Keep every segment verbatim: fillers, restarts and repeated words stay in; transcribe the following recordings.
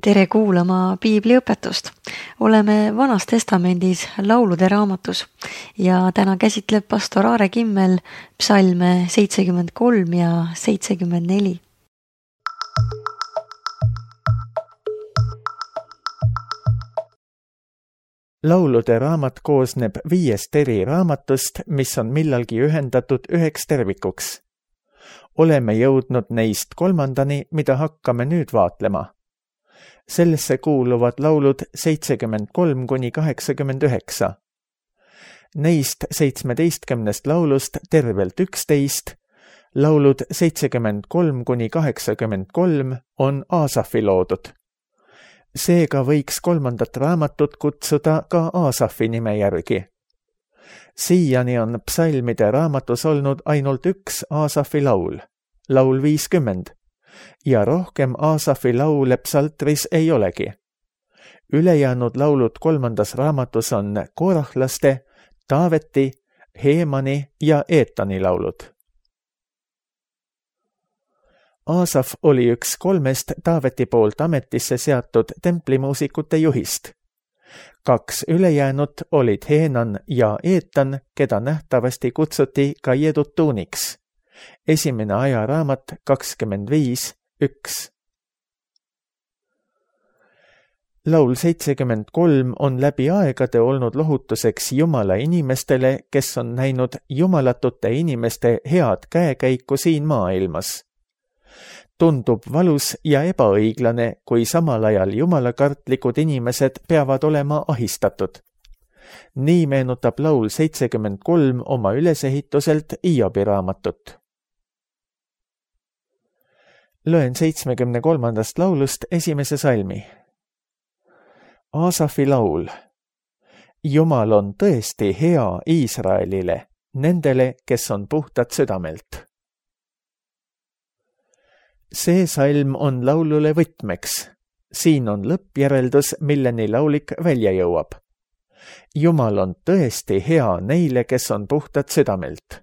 Tere kuulama piibliõpetust. Oleme Vanas Testamendis laulude raamatus ja täna käsitleb pastor Aare Kimmel psalme seitsekümmend kolm ja seitsekümmend neli. Laulude raamat koosneb viiest eri raamatust, mis on millalgi ühendatud üheks tervikuks. Oleme jõudnud neist kolmandani, mida hakkame nüüd vaatlema. Sellesse kuuluvad laulud seitsekümmend kolm kuni kaheksakümmend üheksa. Neist seitsmeteistkümnest laulust tervelt üksteist, laulud seitsekümmend kolm kuni kaheksakümmend kolm on Aasafi loodud. Seega võiks kolmandat raamatut kutsuda ka Aasafi nime järgi. Siiani on psalmide raamatus olnud ainult üks Aasafi laul, laul viiskümmend, ja rohkem Aasafi laule psaltris ei olegi. Ülejäänud laulud kolmandas raamatus on Koorahlaste, Taaveti, Heemani ja Eetani laulud. Aasaf oli üks kolmest Taaveti poolt ametisse seatud templimuusikute juhist. Kaks ülejäänut olid Heenan ja Eetan, keda nähtavasti kutsuti ka Jedutuuniks. Esimene ajaraamat kakskümmend viis üks. Laul seitsekümmend kolm on läbi aegade olnud lohutuseks Jumala inimestele, kes on näinud jumalatute inimeste head käekäiku siin maailmas. Tundub valus ja ebaõiglane, kui samal ajal jumalakartlikud inimesed peavad olema ahistatud. Nii meenutab laul seitsekümmend kolm oma ülesehituselt Iobi raamatut. Loen seitsmekümne kolmandast laulust esimese salmi. Aasafi laul. Jumal on tõesti hea Iisraelile, nendele, kes on puhtad südamelt. See salm on laulule võtmeks. Siin on lõppjäreldus, milleni laulik välja jõuab. Jumal on tõesti hea neile, kes on puhtad südamelt.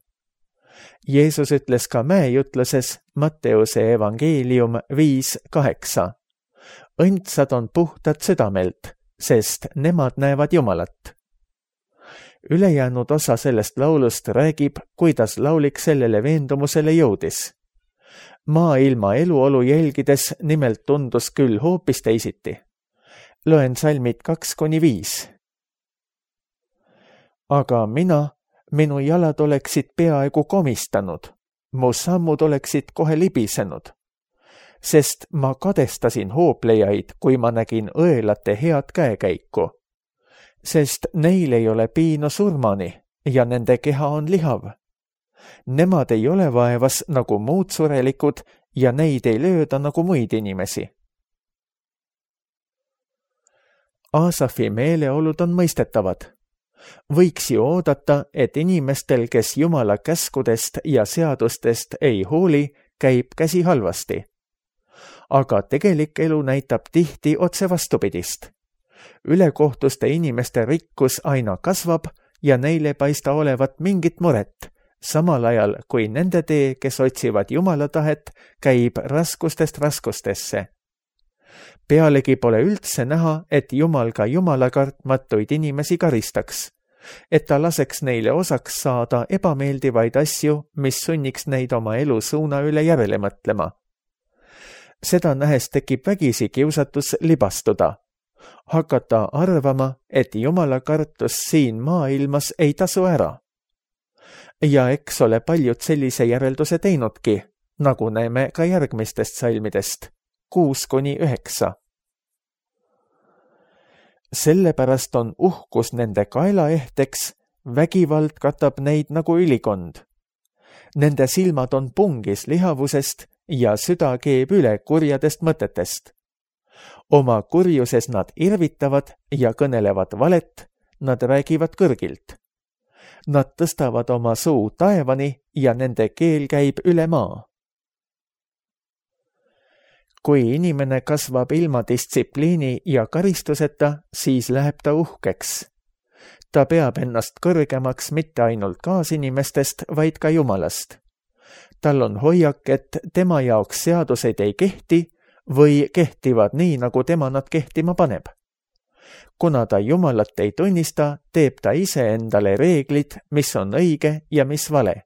Jeesus ütles ka mäejutluses Matteuse evangeelium viis kaheksa. Õndsad on puhtad südamelt, sest nemad näevad Jumalat. Ülejäänud osa sellest laulust räägib, kuidas laulik sellele veendumusele jõudis. Maailma eluolu jälgides nimelt tundus küll hoopis teisiti. Loen salmid kaks kuni viis. Aga mina, minu jalad oleksid peaaegu komistanud, mu sammud oleksid kohe libisenud, sest ma kadestasin hooplejaid, kui ma nägin õelate head käekäiku, sest neil ei ole piinu surmani ja nende keha on lihav. Nemad ei ole vaevas nagu muud surelikud ja neid ei lööda nagu muid inimesi. Aasafi meeleolud on mõistetavad. Võiks ju oodata, et inimestel, kes Jumala käskudest ja seadustest ei hooli, käib käsi halvasti. Aga tegelik elu näitab tihti otse vastupidist. Ülekohtuste inimeste rikkus aina kasvab ja neile paista olevat mingit muret, samal ajal kui nende tee, kes otsivad Jumala tahet, käib raskustest raskustesse. Pealegi pole üldse näha, et Jumal ka Jumala kartmatuid inimesi karistaks, et ta laseks neile osaks saada ebameeldivaid asju, mis sunniks neid oma elu suuna üle järele mõtlema. Seda nähes tekib vägisi kiusatus libastuda, hakata arvama, et Jumala kartus siin maailmas ei tasu ära. Ja eks ole paljud sellise järelduse teinudki, nagu näeme ka järgmistest salmidest, kuus kuni üheksa. Sellepärast on uhkus nende kaelaehteks, vägivald katab neid nagu ülikond. Nende silmad on pungis lihavusest ja süda keeb üle kurjadest mõtetest. Oma kurjuses nad irvitavad ja kõnelevad valet, nad räägivad kõrgilt. Nad tõstavad oma suu taevani ja nende keel käib üle maa. Kui inimene kasvab ilma distsipliini ja karistuseta, siis läheb ta uhkeks. Ta peab ennast kõrgemaks mitte ainult kaasinimestest, vaid ka Jumalast. Tal on hoiak, et tema jaoks seadused ei kehti, või kehtivad nii, nagu tema nad kehtima paneb. Kuna ta Jumalat ei tunnista, teeb ta ise endale reeglid, mis on õige ja mis vale.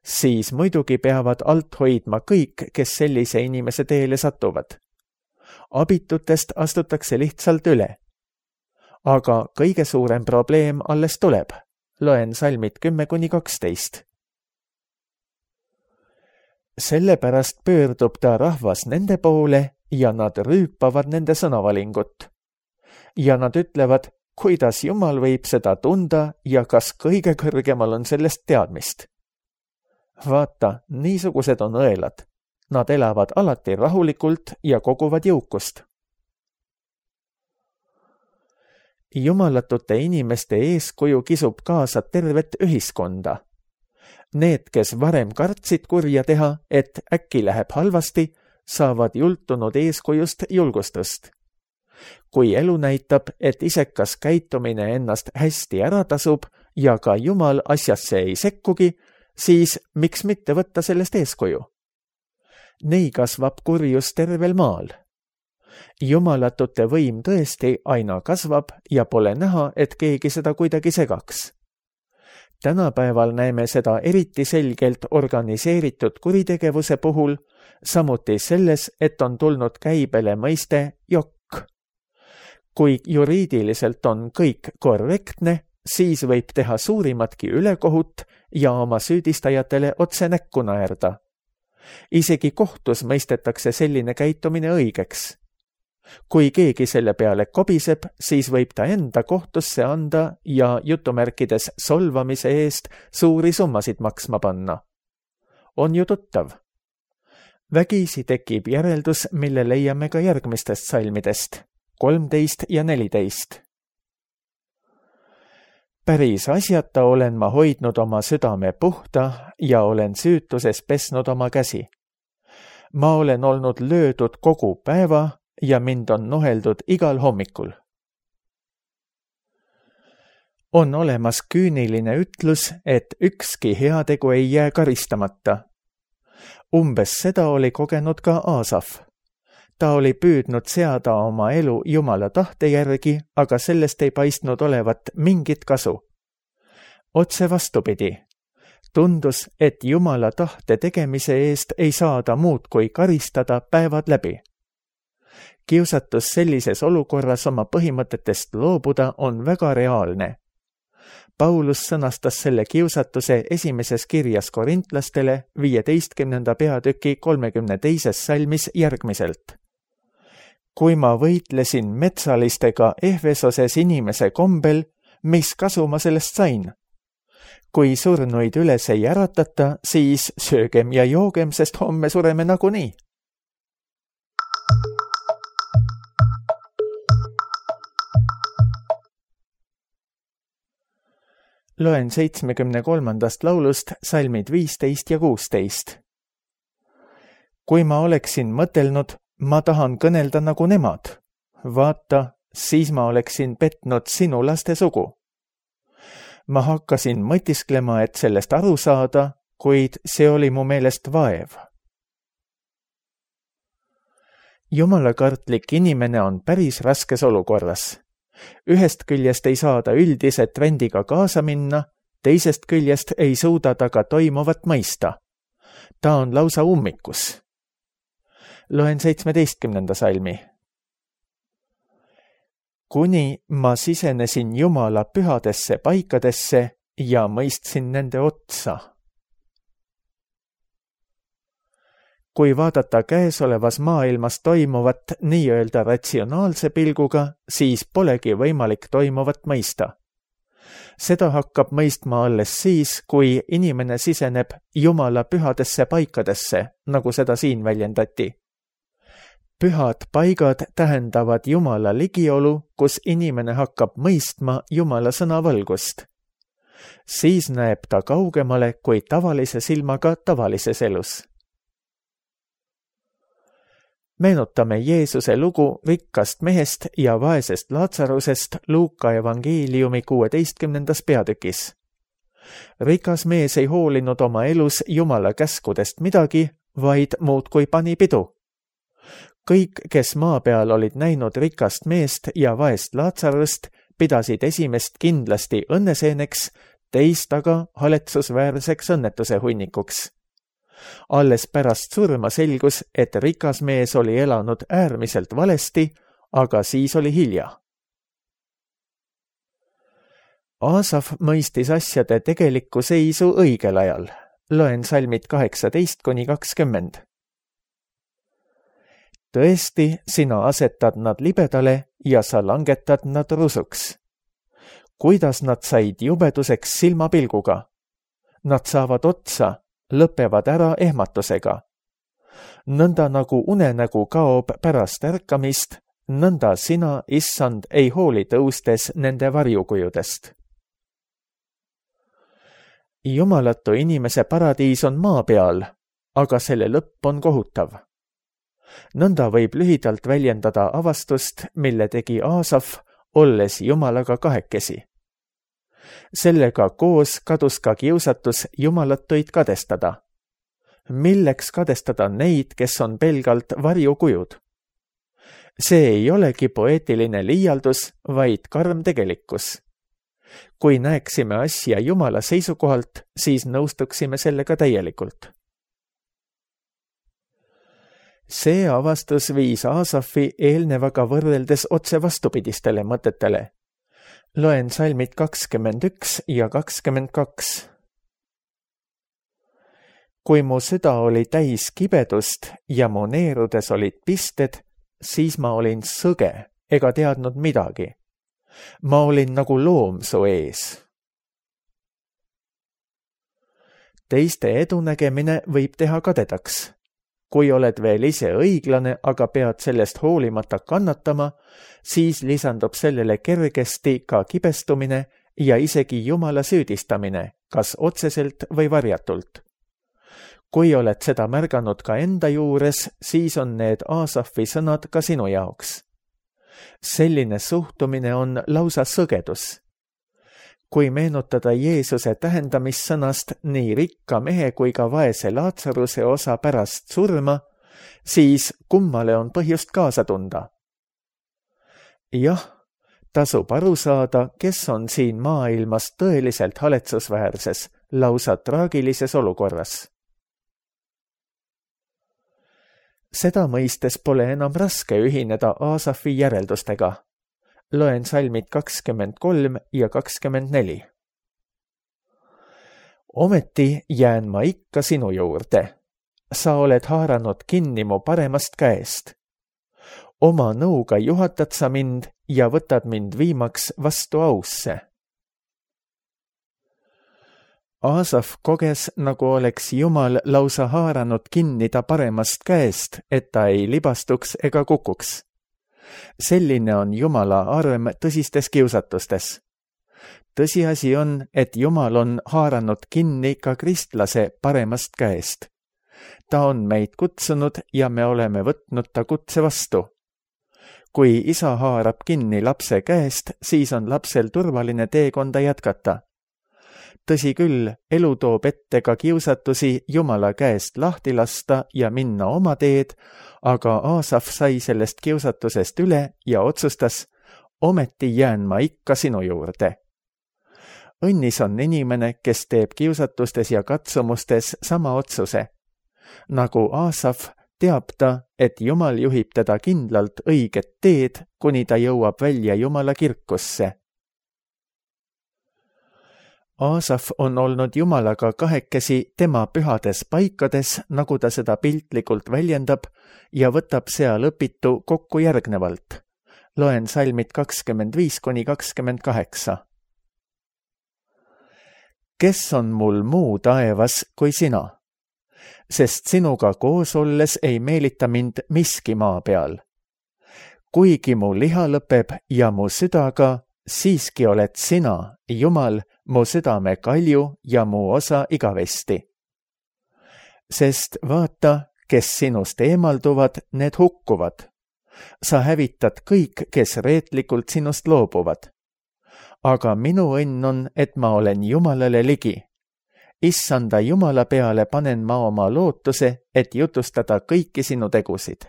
Siis muidugi peavad alt hoidma kõik, kes sellise inimese teele satuvad. Abitutest astutakse lihtsalt üle. Aga kõige suurem probleem alles tuleb. Loen salmid kümme kuni kaksteist. Sellepärast pöördub ta rahvas nende poole ja nad rüüpavad nende sõnavalingut. Ja nad ütlevad, kuidas Jumal võib seda tunda ja kas kõige kõrgemal on sellest teadmist. Vaata, niisugused on õelad. Nad elavad alati rahulikult ja koguvad jõukust. Jumalatute inimeste eeskuju kisub kaasa tervet ühiskonda. Need, kes varem kartsid kurja teha, et äkki läheb halvasti, saavad jultunud eeskujust julgustust. Kui elu näitab, et isekas käitumine ennast hästi ära tasub ja ka Jumal asjasse ei sekkugi, siis miks mitte võtta sellest eeskuju? Nii kasvab kurjus tervel maal. Jumalatute võim tõesti aina kasvab ja pole näha, et keegi seda kuidagi segaks. Tänapäeval näeme seda eriti selgelt organiseeritud kuritegevuse puhul, samuti selles, et on tulnud käibele mõiste jokk. Kui juriidiliselt on kõik korrektne, siis võib teha suurimatki ülekohut ja oma süüdistajatele otse näkku naerda. Isegi kohtus mõistetakse selline käitumine õigeks. Kui keegi selle peale kobiseb, siis võib ta enda kohtusse anda ja jutumärkides solvamise eest suuri summasid maksma panna. On ju tuttav. Vägisi tekib järeldus, mille leiame ka järgmistest salmidest, kolmteist ja neliteist. Päris asjata olen ma hoidnud oma südame puhta ja olen süütuses pesnud oma käsi. Ma olen olnud löödud kogu päeva ja mind on nuheldud igal hommikul. On olemas küüniline ütlus, et ükski heategu ei jää karistamata. Umbes seda oli kogenud ka Aasaf. Ta oli püüdnud seada oma elu Jumala tahte järgi, aga sellest ei paistnud olevat mingit kasu. Otse vastupidi. Tundus, et Jumala tahte tegemise eest ei saada muud kui karistada päevad läbi. Kiusatus sellises olukorras oma põhimõtetest loobuda on väga reaalne. Paulus sõnastas selle kiusatuse esimeses kirjas korintlastele viieteistkümnenda peatüki kolmekümne teises salmis järgmiselt. Kui ma võitlesin metsalistega Ehvesoses inimese kombel, mis kasu ma sellest sain? Kui surnuid üles ei äratata, siis söögem ja joogem, sest homme sureme nagunii. Loen seitsmekümne kolmandast laulust salmid viisteist ja kuusteist. Kui ma oleksin mõtelnud, ma tahan kõnelda nagu nemad. Vaata, siis ma oleksin petnud sinu laste sugu. Ma hakkasin mõtisklema, et sellest aru saada, kuid see oli mu meelest vaev. Jumalakartlik inimene on päris raskes olukorras. Ühest küljest ei saada üldise trendiga kaasa minna, teisest küljest ei suuda ta ka toimuvat mõista. Ta on lausa ummikus. Loen seitsmeteistkümnenda salmi. Kuni ma sisenesin Jumala pühadesse paikadesse ja mõistsin nende otsa. Kui vaadata käesolevas maailmas toimuvat nii-öelda ratsionaalse pilguga, siis polegi võimalik toimuvat mõista. Seda hakkab mõistma alles siis, kui inimene siseneb Jumala pühadesse paikadesse, nagu seda siin väljendati. Pühad paigad tähendavad Jumala ligiolu, kus inimene hakkab mõistma Jumala sõna valgust. Siis näeb ta kaugemale kui tavalise silmaga tavalises elus. Meenutame Jeesuse lugu rikkast mehest ja vaesest Laatsarusest Luuka evangeeliumi kuueteistkümnendas peatükis. Rikas mees ei hoolinud oma elus Jumala käskudest midagi, vaid muudkui pani pidu. kõik, kes maa peal olid näinud rikast meest ja vaest Laatsarust, pidasid esimest kindlasti õnneseeneks, teist aga haletsusväärseks õnnetuse hunnikuks. Alles pärast surma selgus, et rikas mees oli elanud äärmiselt valesti, aga siis oli hilja. Aasaf mõistis asjade tegelikku seisu õigel ajal. Loen salmid kaheksateist kuni kakskümmend. Tõesti, sina asetad nad libedale ja sa langetad nad rusuks. Kuidas nad said jubeduseks silmapilguga? Nad saavad otsa, lõpevad ära ehmatusega. Nõnda nagu unenägu kaob pärast ärkamist, nõnda sina, issand, ei hooli tõustes nende varjukujudest. Jumalatu inimese paradiis on maa peal, aga selle lõpp on kohutav. Nõnda võib lühidalt väljendada avastust, mille tegi Aasaf, olles Jumalaga kahekesi. Sellega koos kadus ka kiusatus jumalatuid kadestada. Milleks kadestada neid, kes on pelgalt varjukujud? See ei olegi poeetiline liialdus, vaid karm tegelikkus. Kui näeksime asja Jumala seisukohalt, siis nõustuksime sellega täielikult. See avastus viis Aasafi eelnevaga võrreldes otse vastupidistele mõtetele. Loen salmid kakskümmend üks ja kakskümmend kaks. Kui mu süda oli täis kibedust ja mu neerudes olid pisted, siis ma olin sõge ega teadnud midagi. Ma olin nagu loom su ees. Teiste edunägemine võib teha kadedaks. Kui oled veel ise õiglane, aga pead sellest hoolimata kannatama, siis lisandub sellele kergesti ka kibestumine ja isegi Jumala süüdistamine, kas otseselt või varjatult. Kui oled seda märganud ka enda juures, siis on need Aasafi sõnad ka sinu jaoks. Selline suhtumine on lausa sõgedus. Kui meenutada Jeesuse tähendamissõnast nii rikka mehe kui ka vaese Laatsaruse osa pärast surma, siis kummale on põhjust kaasa tunda. Jah, tasub aru saada, kes on siin maailmas tõeliselt haletsusväärses, lausa traagilises olukorras. Seda mõistes pole enam raske ühineda Aasafi järeldustega. Loen salmid kakskümmend kolm ja kakskümmend neli. Ometi jään ma ikka sinu juurde. Sa oled haaranud kinni mu paremast käest. Oma nõuga juhatad sa mind ja võtad mind viimaks vastu ausse. Aasaf koges, nagu oleks Jumal lausa haaranud kinni ta paremast käest, et ta ei libastuks ega kukuks. Selline on Jumala arm tõsistes kiusatustes. Tõsiasi on, et Jumal on haaranud kinni ka kristlase paremast käest. Ta on meid kutsunud ja me oleme võtnud ta kutse vastu. Kui isa haarab kinni lapse käest, siis on lapsel turvaline teekonda jätkata. Tõsi küll, elu toob ette ka kiusatusi Jumala käest lahti lasta ja minna oma teed, aga Aasaf sai sellest kiusatusest üle ja otsustas, ometi jään ma ikka sinu juurde. Õnnis on inimene, kes teeb kiusatustes ja katsumustes sama otsuse. Nagu Aasaf teab ta, et Jumal juhib teda kindlalt õiget teed, kuni ta jõuab välja Jumala kirkusse. Aasaf on olnud Jumalaga kahekesi tema pühades paikades, nagu ta seda piltlikult väljendab, ja võtab seal õpitu kokku järgnevalt. Loen salmid kakskümmend viis kuni kakskümmend kaheksa. Kes on mul muu taevas kui sina? Sest sinuga koos olles ei meelita mind miski maa peal. Kuigi mu liha lõpeb ja mu südaga, siiski oled sina, Jumal, mu südame kalju ja mu osa igavesti. Sest vaata, kes sinust eemalduvad, need hukkuvad. Sa hävitad kõik, kes reetlikult sinust loobuvad. Aga minu õnn on, et ma olen Jumalale ligi. Issanda Jumala peale panen ma oma lootuse, et jutustada kõiki sinu tegusid.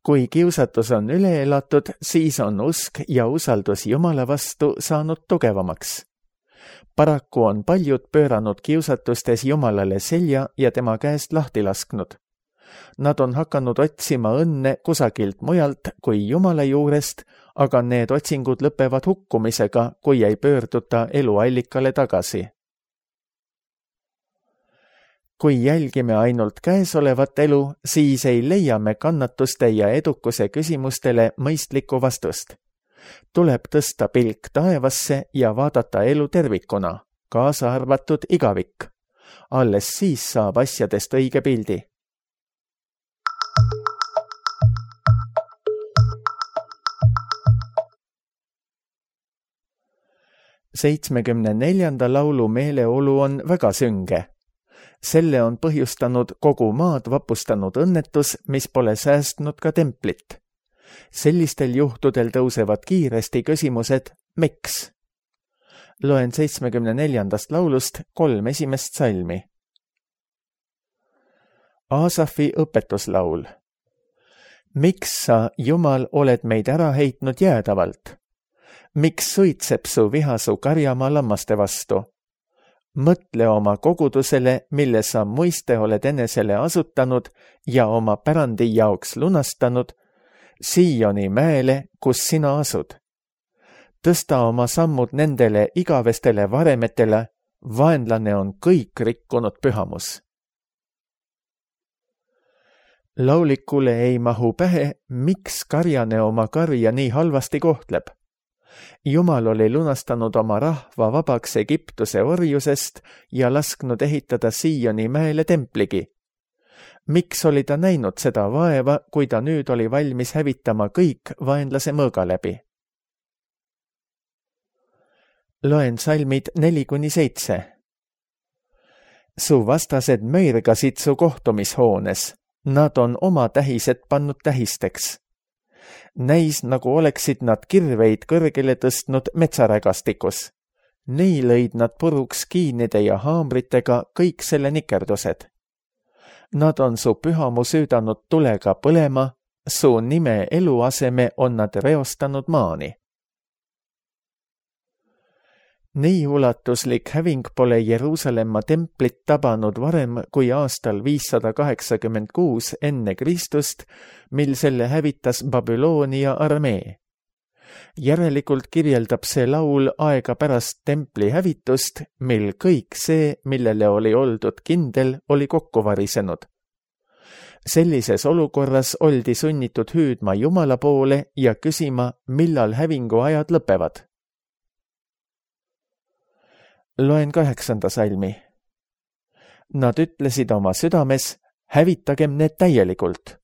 kui kiusatus on üle elatud, siis on usk ja usaldus Jumala vastu saanud tugevamaks. Paraku on paljud pööranud kiusatustes Jumalale selja ja tema käest lahti lasknud. Nad on hakanud otsima õnne kusagilt mujalt kui Jumala juurest, aga need otsingud lõpevad hukkumisega, kui ei pöörduta eluallikale tagasi. Kui jälgime ainult käesolevat elu, siis ei leia me kannatuste ja edukuse küsimustele mõistlikku vastust. Tuleb tõsta pilk taevasse ja vaadata elu tervikuna, kaasa arvatud igavik. Alles siis saab asjadest õige pildi. seitsmekümne neljanda laulu meeleolu on väga sünge. Selle on põhjustanud kogu maad vapustanud õnnetus, mis pole säästnud ka templit. Sellistel juhtudel tõusevad kiiresti küsimused, miks? Loen seitsmekümne neljandast laulust kolm esimest salmi. Aasafi õpetuslaul. Miks sa, Jumal, oled meid ära heitnud jäädavalt? Miks suitseb su viha su karjamaa lammaste vastu? Mõtle oma kogudusele, mille sa muiste oled enesele asutanud ja oma pärandi jaoks lunastanud, Sioni mäele, kus sina asud. Tõsta oma sammud nendele igavestele varemetele, vaenlane on kõik rikkunud pühamus. Laulikule ei mahu pähe, miks karjane oma karja nii halvasti kohtleb. Jumal oli lunastanud oma rahva vabaks Egiptuse orjusest ja lasknud ehitada Sioni mäele templigi. Miks oli ta näinud seda vaeva, kui ta nüüd oli valmis hävitama kõik vaenlase mõõga läbi? Loen salmid neli kuni seitse. Su vastased möirgasid su kohtumishoones. Nad on oma tähised pannud tähisteks. Näis, nagu oleksid nad kirveid kõrgele tõstnud metsarägastikus. Nii lõid nad puruks kiinide ja haamritega kõik selle nikerdused. Nad on su pühamu süüdanud tulega põlema, su nime eluaseme on nad reostanud maani. Nii ulatuslik häving pole Jeruusalemma templit tabanud varem kui aastal viissada kaheksakümmend kuus enne Kristust, mil selle hävitas Babyloonia armee. Järelikult kirjeldab see laul aega pärast templi hävitust, mil kõik see, millele oli oldud kindel, oli kokku varisenud. Sellises olukorras oldi sunnitud hüüdma Jumala poole ja küsima, millal hävingu ajad lõpevad. Loen kaheksanda salmi. Nad ütlesid oma südames, hävitagem need täielikult.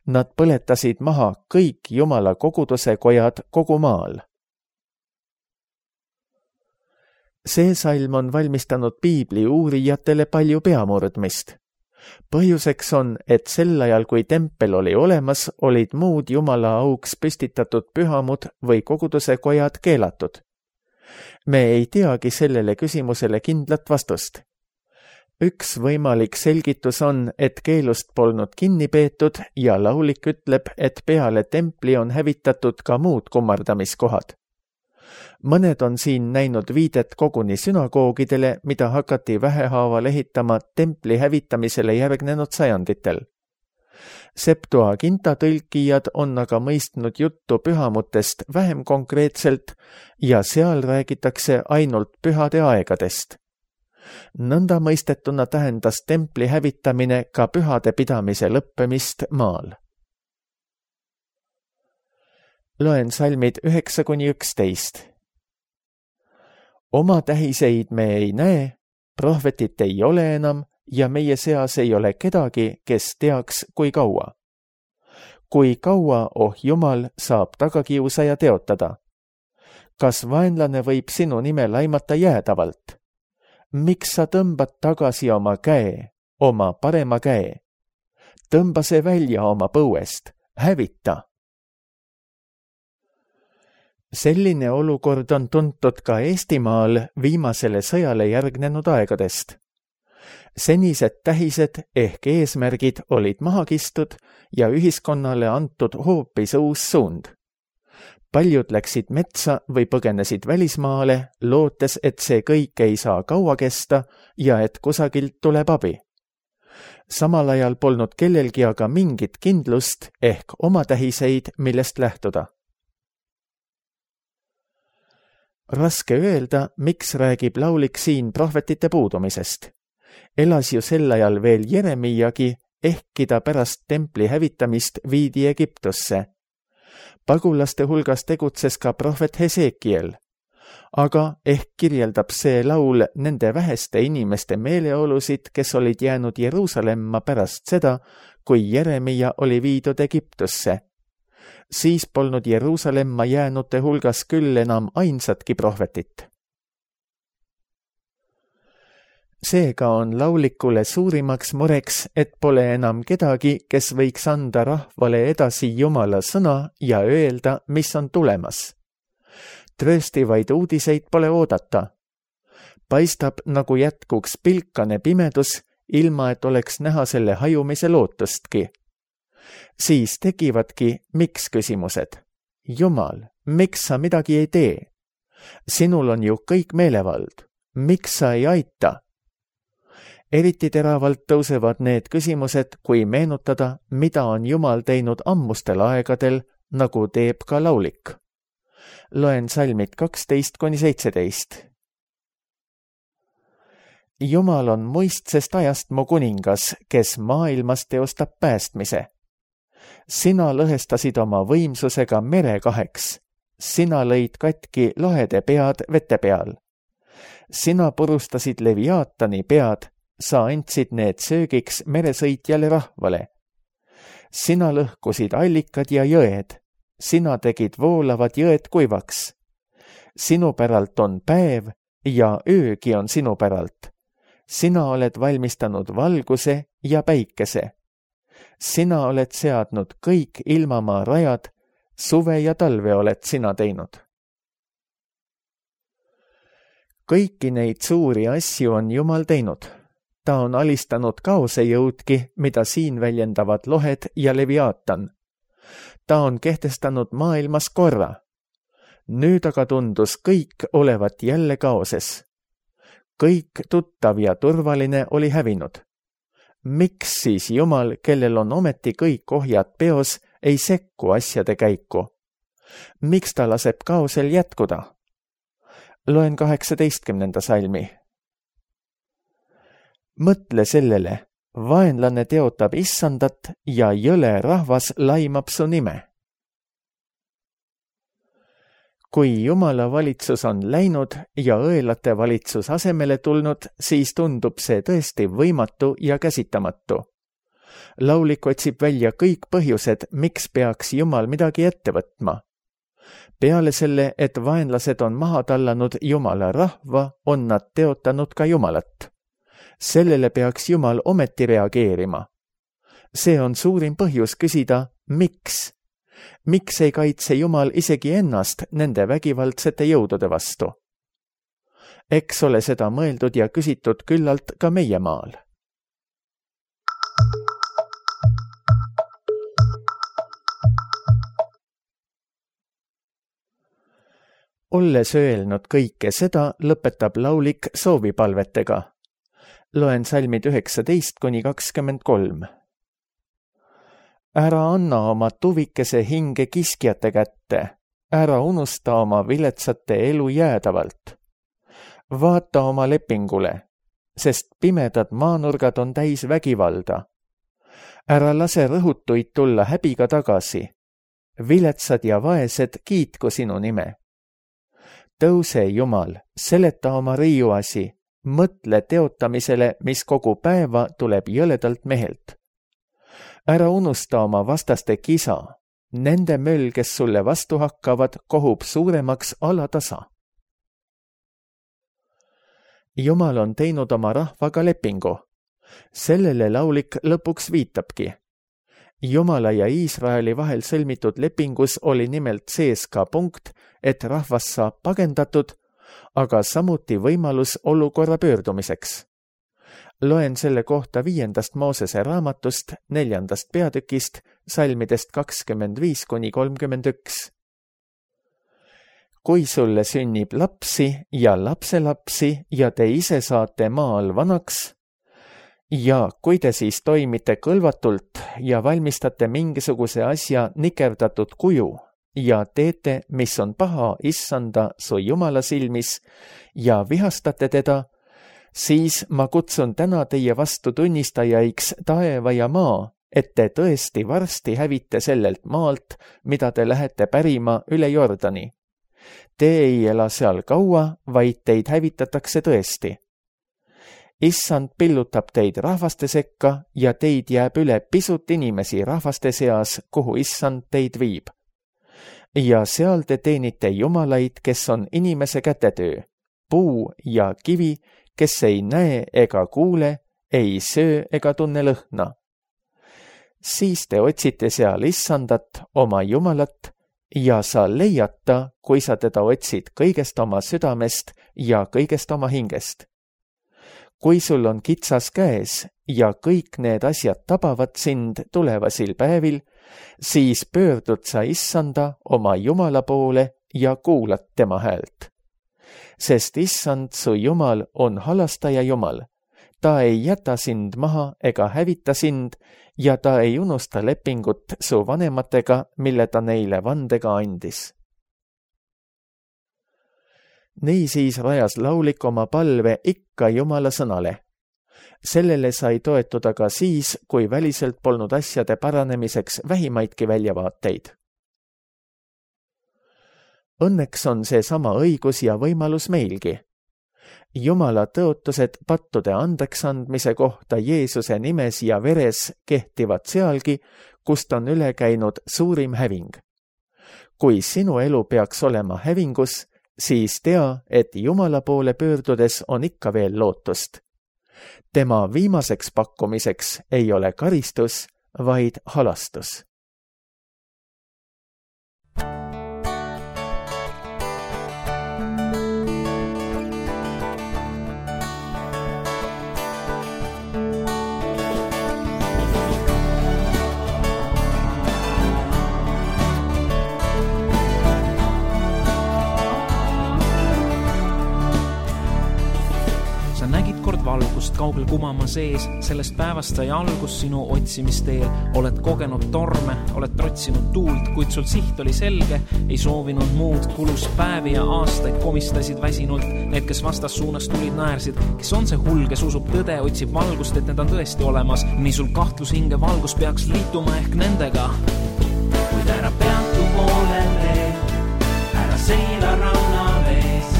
Nad põletasid maha kõik Jumala koguduse kojad kogu maal. See salm on valmistanud piibli uurijatele palju peamurdmist. Põhjuseks on, et sel ajal, kui tempel oli olemas, olid muud Jumala auks püstitatud pühamud või koguduse kojad keelatud. Me ei teagi sellele küsimusele kindlat vastust. Üks võimalik selgitus on, et keelust polnud kinni peetud ja laulik ütleb, et peale templi on hävitatud ka muud kummardamiskohad. Mõned on siin näinud viidet koguni sünagoogidele, mida hakati vähehaaval ehitama templi hävitamisele järgnenud sajanditel. Septuaginta tõlkijad on aga mõistnud juttu pühamutest vähem konkreetselt ja seal räägitakse ainult pühade aegadest. Nõnda mõistetuna tähendas templi hävitamine ka pühade pidamise lõppemist maal. Loen salmid üheksa kuni üksteist. Oma tähiseid me ei näe, prohvetit ei ole enam ja meie seas ei ole kedagi, kes teaks, kui kaua. Kui kaua, oh Jumal, saab tagakiusaja teotada? Kas vaenlane võib sinu nime laimata jäädavalt? Miks sa tõmbad tagasi oma käe, oma parema käe? Tõmba see välja oma põuest, hävita. Selline olukord on tuntud ka Eestimaal viimasele sõjale järgnenud aegadest. senised tähised ehk eesmärgid olid maha kistud ja ühiskonnale antud hoopis uus suund. Paljud läksid metsa või põgenesid välismaale, lootes, et see kõik ei saa kaua kesta ja et kusagilt tuleb abi. Samal ajal polnud kellelgi aga mingit kindlust ehk oma tähiseid, millest lähtuda. Raske öelda, miks räägib laulik siin prohvetite puudumisest. Elas ju sel ajal veel Jeremiagi, ehkki ta pärast templi hävitamist viidi Egiptusse. Pagulaste hulgas tegutses ka prohvet Hesekiel, aga ehk kirjeldab see laul nende väheste inimeste meeleolusid, kes olid jäänud Jeruusalemma pärast seda, kui Jeremia oli viidud Egiptusse. Siis polnud Jeruusalemma jäänute hulgas küll enam ainsatki prohvetit. Seega on laulikule suurimaks mureks, et pole enam kedagi, kes võiks anda rahvale edasi Jumala sõna ja öelda, mis on tulemas. Trööstivaid uudiseid pole oodata. Paistab, nagu jätkuks pilkane pimedus, ilma et oleks näha selle hajumise lootustki. Siis tekivadki miks küsimused. Jumal, miks sa midagi ei tee? Sinul on ju kõik meelevald. Miks sa ei aita? Eriti teravalt tõusevad need küsimused, kui meenutada, mida on Jumal teinud ammustel aegadel, nagu teeb ka laulik. Loen salmid kaksteist kuni seitseteist. Jumal on muistsest ajast mu kuningas, kes maailmas teostab päästmise. Sina lõhestasid oma võimsusega mere kaheks. Sina lõid katki lahede pead vete peal. Sina purustasid Leviaatani pead, sa andsid need söögiks meresõitjale rahvale. Sina lõhkusid allikad ja jõed. Sina tegid voolavad jõed kuivaks. Sinu päralt on päev ja öögi on sinu päralt. Sina oled valmistanud valguse ja päikese. Sina oled seadnud kõik ilmamaa rajad, suve ja talve oled sina teinud. Kõiki neid suuri asju on Jumal teinud. Ta on alistanud kaosejõudki, mida siin väljendavad lohed ja Leviaatan. Ta on kehtestanud maailmas korra. Nüüd aga tundus kõik olevat jälle kaoses. Kõik tuttav ja turvaline oli hävinud. Miks siis Jumal, kellel on ometi kõik ohjad peos, ei sekku asjade käiku? Miks ta laseb kaosel jätkuda? Loen kaheksateistkümnenda salmi. Mõtle sellele, vaenlane teotab issandat ja jõle rahvas laimab su nime. Kui Jumala valitsus on läinud ja õelate valitsus asemele tulnud, siis tundub see tõesti võimatu ja käsitamatu. Laulik otsib välja kõik põhjused, miks peaks Jumal midagi ette võtma. Peale selle, et vaenlased on maha tallanud Jumala rahva, on nad teotanud ka Jumalat. Sellele peaks Jumal ometi reageerima. See on suurim põhjus küsida, miks? Miks ei kaitse Jumal isegi ennast nende vägivaldsete jõudude vastu? Eks ole seda mõeldud ja küsitud küllalt ka meie maal. Olles öelnud kõike seda, lõpetab laulik soovipalvetega. Loen salmid üheksateist kuni kakskümmend kolm. Ära anna oma tuvikese hinge kiskjate kätte, ära unusta oma viletsate elu jäädavalt. Vaata oma lepingule, sest pimedad maanurgad on täis vägivalda. Ära lase rõhutuid tulla häbiga tagasi. Viletsad ja vaesed kiitku sinu nime. Tõuse, Jumal, seleta oma riiuasi, mõtle teotamisele, mis kogu päeva tuleb jõledalt mehelt. Ära unusta oma vastaste kisa, nende möll, kes sulle vastu hakkavad, kohub suuremaks alatasa. Jumal on teinud oma rahvaga lepingu. Sellele laulik lõpuks viitabki. Jumala ja Iisraeli vahel sõlmitud lepingus oli nimelt sees ka punkt, et rahvas saab pagendatud, aga samuti võimalus olukorra pöördumiseks. Loen selle kohta viiendast Moosese raamatust, neljandast peatükist, salmidest kakskümmend viis kuni kolmkümmend üks. Kui sulle sünnib lapsi ja lapselapsi ja te ise saate maal vanaks, ja kui te siis toimite kõlvatult ja valmistate mingisuguse asja nikerdatud kuju ja teete, mis on paha issanda su Jumala silmis ja vihastate teda, siis ma kutsun täna teie vastu tunnistajaiks taeva ja maa, et te tõesti varsti hävite sellelt maalt, mida te lähete pärima üle Jordani. Te ei ela seal kaua, vaid teid hävitatakse tõesti. Issand pillutab teid rahvaste sekka ja teid jääb üle pisut inimesi rahvaste seas, kuhu issand teid viib. Ja seal te teenite jumalaid, kes on inimese kätetöö, puu ja kivi, kes ei näe ega kuule, ei söö ega tunne lõhna. Siis te otsite seal issandat, oma jumalat, ja sa leiad ta, kui sa teda otsid kõigest oma südamest ja kõigest oma hingest. Kui sul on kitsas käes ja kõik need asjad tabavad sind tulevasil päevil, siis pöördud sa issanda oma Jumala poole ja kuulad tema häält. Sest issand su Jumal on halastaja Jumal. Ta ei jäta sind maha ega hävita sind ja ta ei unusta lepingut su vanematega, mille ta neile vandega andis. Niisiis rajas laulik oma palve ikka Jumala sõnale. Sellele sai toetuda ka siis, kui väliselt polnud asjade paranemiseks vähimaidki väljavaateid. Õnneks on see sama õigus ja võimalus meilgi. Jumala tõotused pattude andeksandmise kohta Jeesuse nimes ja veres kehtivad sealgi, kust on üle käinud suurim häving. Kui sinu elu peaks olema hävingus, siis tea, et Jumala poole pöördudes on ikka veel lootust. Tema viimaseks pakkumiseks ei ole karistus, vaid halastus. Valgust kaugel kumama sees, sellest päevast sai algus sinu otsimisteel. Oled kogenud torme, oled trotsinud tuult, kuid sul siht oli selge, ei soovinud muud. Kulus päevi ja aastaid komistasid väsinult, need, kes vastas suunas tulid, naersid. Kes on see hull, kes usub tõde, otsib valgust, et need on tõesti olemas. Nii sul kahtlus hinge valgus peaks liituma ehk nendega. Kuid ära peatu poolele, ära seila ranna vees,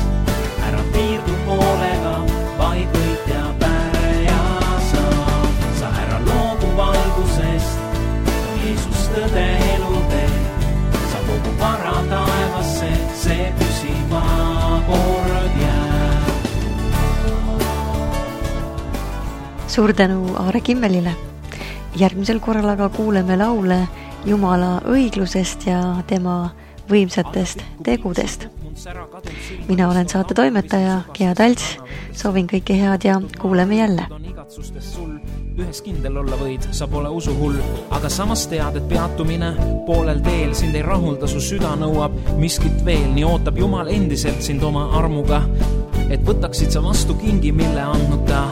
ära piirdu poolega, vaid võit ja päreja saab. Sa ära loobu valgusest, Jeesus tõde elu teeb. Sa kogu vara taevasse, see püsiva kord jääb. Suur tänu Aare Kimmelile. Järgmisel korral aga kuuleme laule Jumala õiglusest ja tema võimsatest tegudest. Mina olen saate toimetaja Gea Talts, soovin kõike head ja kuuleme jälle. Ühes kindel olla võid, sa pole usu hull, aga samas tead, et peatumine poolel teel sind ei rahulda, su süda nõuab miskit veel, nii ootab Jumal endiselt sind oma armuga, et võtaksid sa vastu kingi, mille andnud ta.